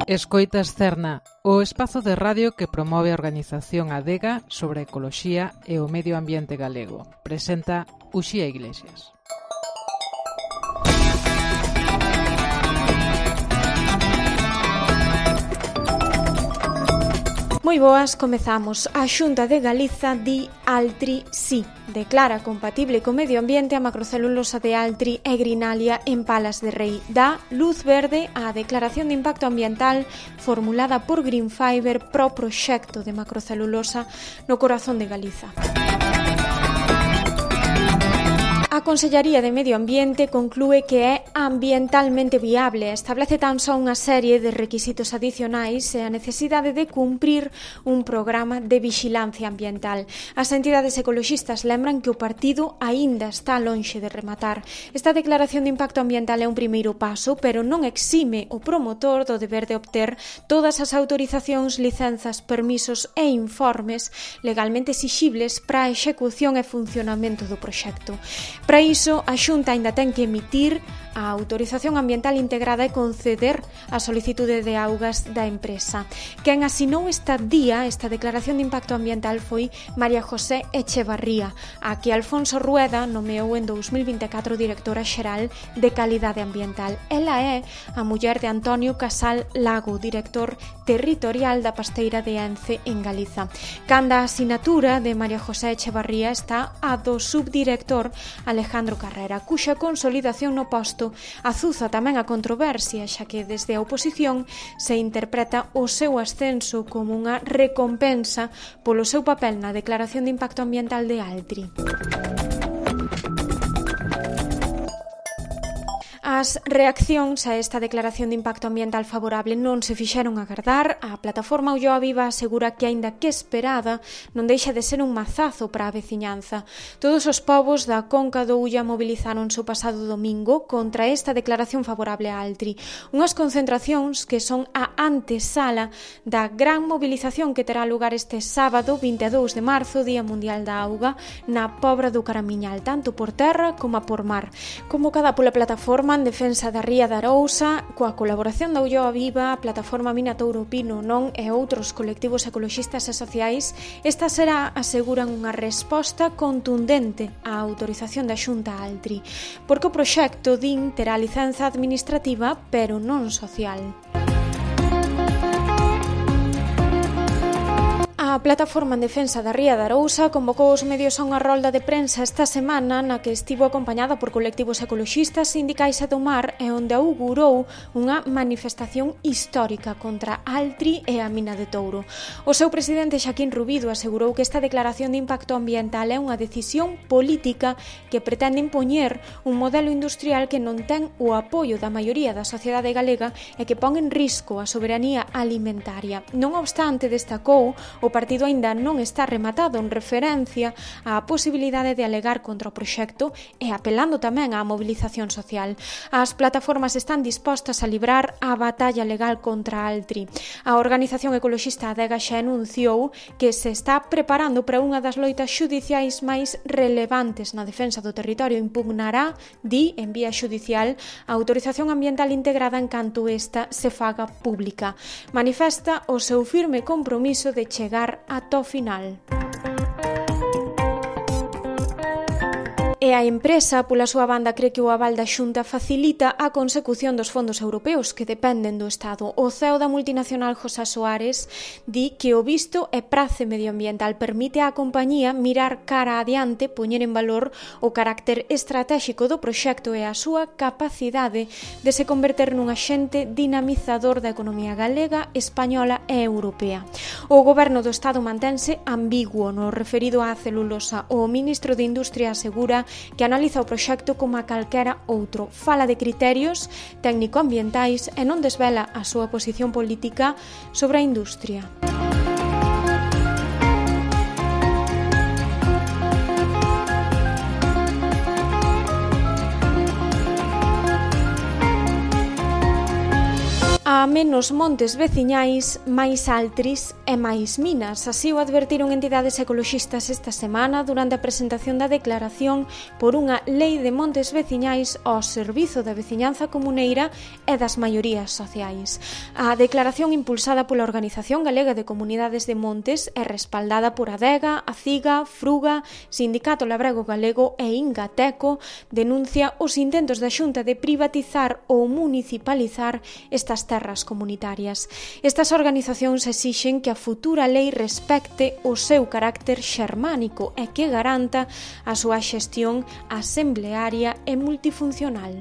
Escoitas Cerna, o espazo de radio que promove a organización Adega sobre a ecoloxía e o medio ambiente galego. Presenta Uxía Iglesias. Moi boas, comezamos. A Xunta de Galiza di Altri sí. Declara compatible co medio ambiente a macrocelulosa de Altri e Grinalia en Palas de Rei. Dá luz verde á declaración de impacto ambiental formulada por Greenfiber pro proxecto de macrocelulosa no corazón de Galiza. A Consellaría de Medio Ambiente conclúe que é ambientalmente viable, establece tan só unha serie de requisitos adicionais e a necesidade de cumprir un programa de vixilancia ambiental. As entidades ecoloxistas lembran que o partido aínda está lonxe de rematar. Esta declaración de impacto ambiental é un primeiro paso, pero non exime o promotor do deber de obter todas as autorizacións, licenzas, permisos e informes legalmente exixibles para a execución e funcionamento do proxecto. Para iso, a Xunta aínda ten que emitir a autorización ambiental integrada e conceder a solicitude de augas da empresa. Quen asinou esta declaración de impacto ambiental foi María José Echevarría, a que Alfonso Rueda nomeou en 2024 directora xeral de Calidade Ambiental. Ela é a muller de Antonio Casal Lago, director territorial da Pasteira de Ence en Galiza. Canda a asinatura de María José Echevarría está a do subdirector Alejandro Carrera, cuxa consolidación no posto azuza tamén a controversia, xa que desde a oposición se interpreta o seu ascenso como unha recompensa polo seu papel na declaración de impacto ambiental de Altri. As reaccións a esta declaración de impacto ambiental favorable non se fixeron agardar. A plataforma Ulloa Viva asegura que, aínda que esperada, non deixa de ser un mazazo para a veciñanza. Todos os povos da Conca do Ulla mobilizáronse o pasado domingo contra esta declaración favorable a Altri. Unhas concentracións que son a antesala da gran mobilización que terá lugar este sábado, 22 de marzo, Día Mundial da Auga, na Pobra do Caramiñal, tanto por terra como por mar. Convocada pola plataforma en defensa da Ría de Arousa, coa colaboración da Ulloa Viva, a plataforma Mina Touro Pino Non e outros colectivos ecoloxistas e sociais, esta será, aseguran, unha resposta contundente á autorización da Xunta Altri, porque o proxecto, din, terá licenza administrativa, pero non social. A plataforma en defensa da Ría de Arousa convocou os medios a unha rolda de prensa esta semana na que estivo acompañada por colectivos ecoloxistas, sindicais e do mar e onde augurou unha manifestación histórica contra Altri e a mina de Touro. O seu presidente Xaquín Rubido asegurou que esta declaración de impacto ambiental é unha decisión política que pretende impoñer un modelo industrial que non ten o apoio da maioría da sociedade galega e que pon en risco a soberanía alimentaria. Non obstante, destacou, o partido aínda non está rematado en referencia á posibilidade de alegar contra o proxecto e apelando tamén á mobilización social. As plataformas están dispostas a librar a batalla legal contra Altri. A organización ecoloxista Adega xa anunciou que se está preparando para unha das loitas xudiciais máis relevantes na defensa do territorio. Impugnará, di, en vía xudicial, a autorización ambiental integrada en canto esta se faga pública. Manifesta o seu firme compromiso de chegar ata o final. E a empresa, pola súa banda, cree que o aval da Xunta facilita a consecución dos fondos europeos que dependen do Estado. O CEO da multinacional José Soares di que o visto e prace medioambiental permite á compañía mirar cara adiante, poñer en valor o carácter estratéxico do proxecto e a súa capacidade de se converter nun axente dinamizador da economía galega, española e europea. O goberno do Estado mantense ambiguo no referido á celulosa. O ministro de Industria asegura que analiza o proxecto como a calquera outro. Fala de criterios técnico-ambientais e non desvela a súa posición política sobre a industria. A A menos montes veciñais, máis altris e máis minas. Así o advertiron entidades ecoloxistas esta semana durante a presentación da declaración por unha lei de montes veciñais ao servizo da veciñanza comuneira e das maiorías sociais. A declaración impulsada pola Organización Galega de Comunidades de Montes é respaldada por Adega, Aciga, Fruga, Sindicato Labrego Galego e Ingateco, denuncia os intentos da Xunta de privatizar ou municipalizar estas terras comunitarias. Estas organizacións exixen que a futura lei respecte o seu carácter xermánico e que garanta a súa xestión asemblearia e multifuncional.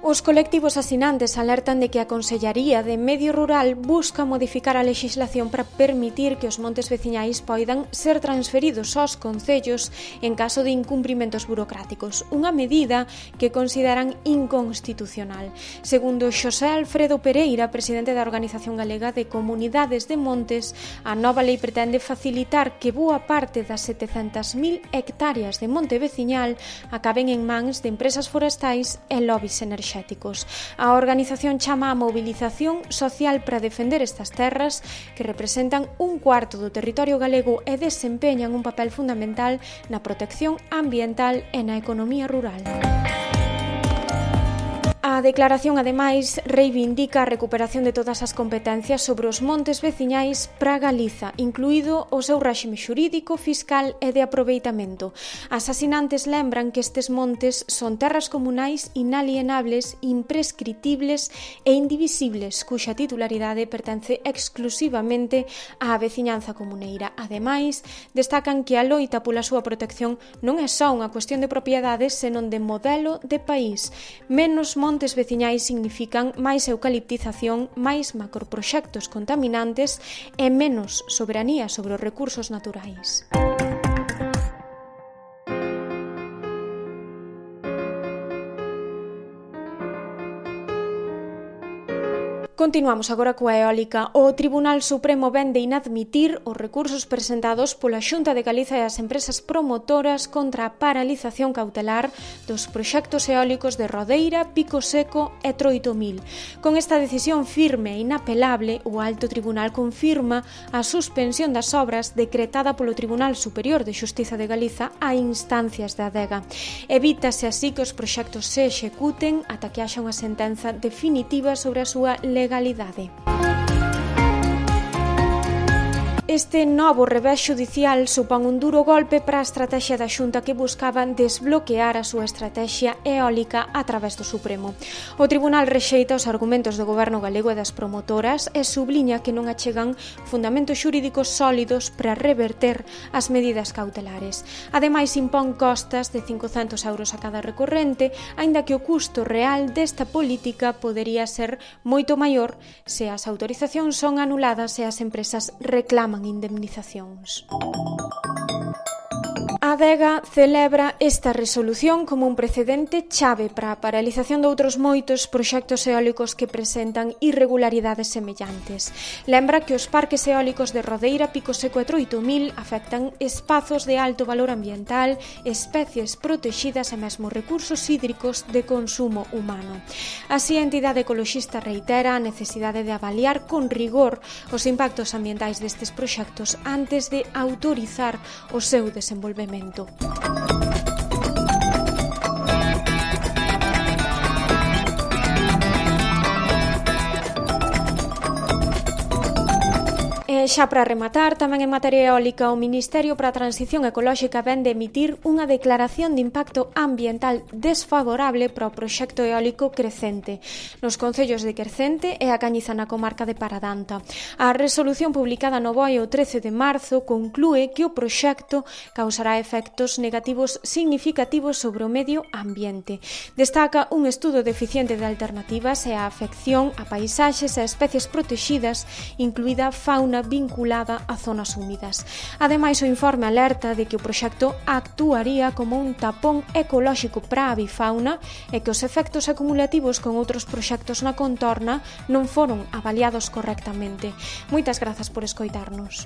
Os colectivos asinantes alertan de que a Consellaría de Medio Rural busca modificar a lexislación para permitir que os montes veciñais poidan ser transferidos aos concellos en caso de incumprimentos burocráticos, unha medida que consideran inconstitucional. Segundo Xosé Alfredo Pereira, presidente da Organización Galega de Comunidades de Montes, a nova lei pretende facilitar que boa parte das 700.000 hectáreas de monte veciñal acaben en mans de empresas forestais e lobbies enerxéticos. A organización chama a mobilización social para defender estas terras que representan un cuarto do territorio galego e desempeñan un papel fundamental na protección ambiental e na economía rural. A declaración, ademais, reivindica a recuperación de todas as competencias sobre os montes veciñais para Galiza, incluído o seu réxime xurídico, fiscal e de aproveitamento. As asinantes lembran que estes montes son terras comunais inalienables, imprescritibles e indivisibles, cuxa titularidade pertence exclusivamente á veciñanza comuneira. Ademais, destacan que a loita pola súa protección non é só unha cuestión de propiedades, senón de modelo de país. Menos montes veciñais significan máis eucaliptización, máis macroproxectos contaminantes e menos soberanía sobre os recursos naturais. Continuamos agora coa eólica. O Tribunal Supremo ven de inadmitir os recursos presentados pola Xunta de Galiza e as empresas promotoras contra a paralización cautelar dos proxectos eólicos de Rodeira, Pico Seco e Troitomil. Con esta decisión firme e inapelable, o Alto Tribunal confirma a suspensión das obras decretada polo Tribunal Superior de Xustiza de Galiza a instancias da Adega. Evítase así que os proxectos se executen ata que haxa unha sentenza definitiva sobre a súa legalidade. Este novo revés xudicial supón un duro golpe para a estrategia da Xunta que buscaba desbloquear a súa estrategia eólica a través do Supremo. O Tribunal rexeita os argumentos do Goberno galego e das promotoras e subliña que non achegan fundamentos xurídicos sólidos para reverter as medidas cautelares. Ademais, impón costas de 500 euros a cada recorrente, aínda que o custo real desta política podería ser moito maior se as autorizacións son anuladas e as empresas reclaman indemnizacións. A Adega celebra esta resolución como un precedente chave para a paralización de outros moitos proxectos eólicos que presentan irregularidades semellantes. Lembra que os parques eólicos de Rodeira, Pico Seco e Troitomil afectan espazos de alto valor ambiental, especies protexidas e mesmo recursos hídricos de consumo humano. Así, a entidade ecoloxista reitera a necesidade de avaliar con rigor os impactos ambientais destes proxectos antes de autorizar o seu desenvolvemento. Xa para rematar, tamén en materia eólica, o Ministerio para a Transición Ecolóxica ven de emitir unha declaración de impacto ambiental desfavorable para o proxecto eólico Crecente, nos concellos de Quercente e a Cañiza na comarca de Paradanta. A resolución publicada no BOE o 13 de marzo conclúe que o proxecto causará efectos negativos significativos sobre o medio ambiente. Destaca un estudo deficiente de alternativas e a afección a paisaxes e a especies protexidas, incluída fauna vinculada a zonas húmidas. Ademais, o informe alerta de que o proxecto actuaría como un tapón ecolóxico para a avifauna e que os efectos acumulativos con outros proxectos na contorna non foron avaliados correctamente. Moitas grazas por escoitarnos.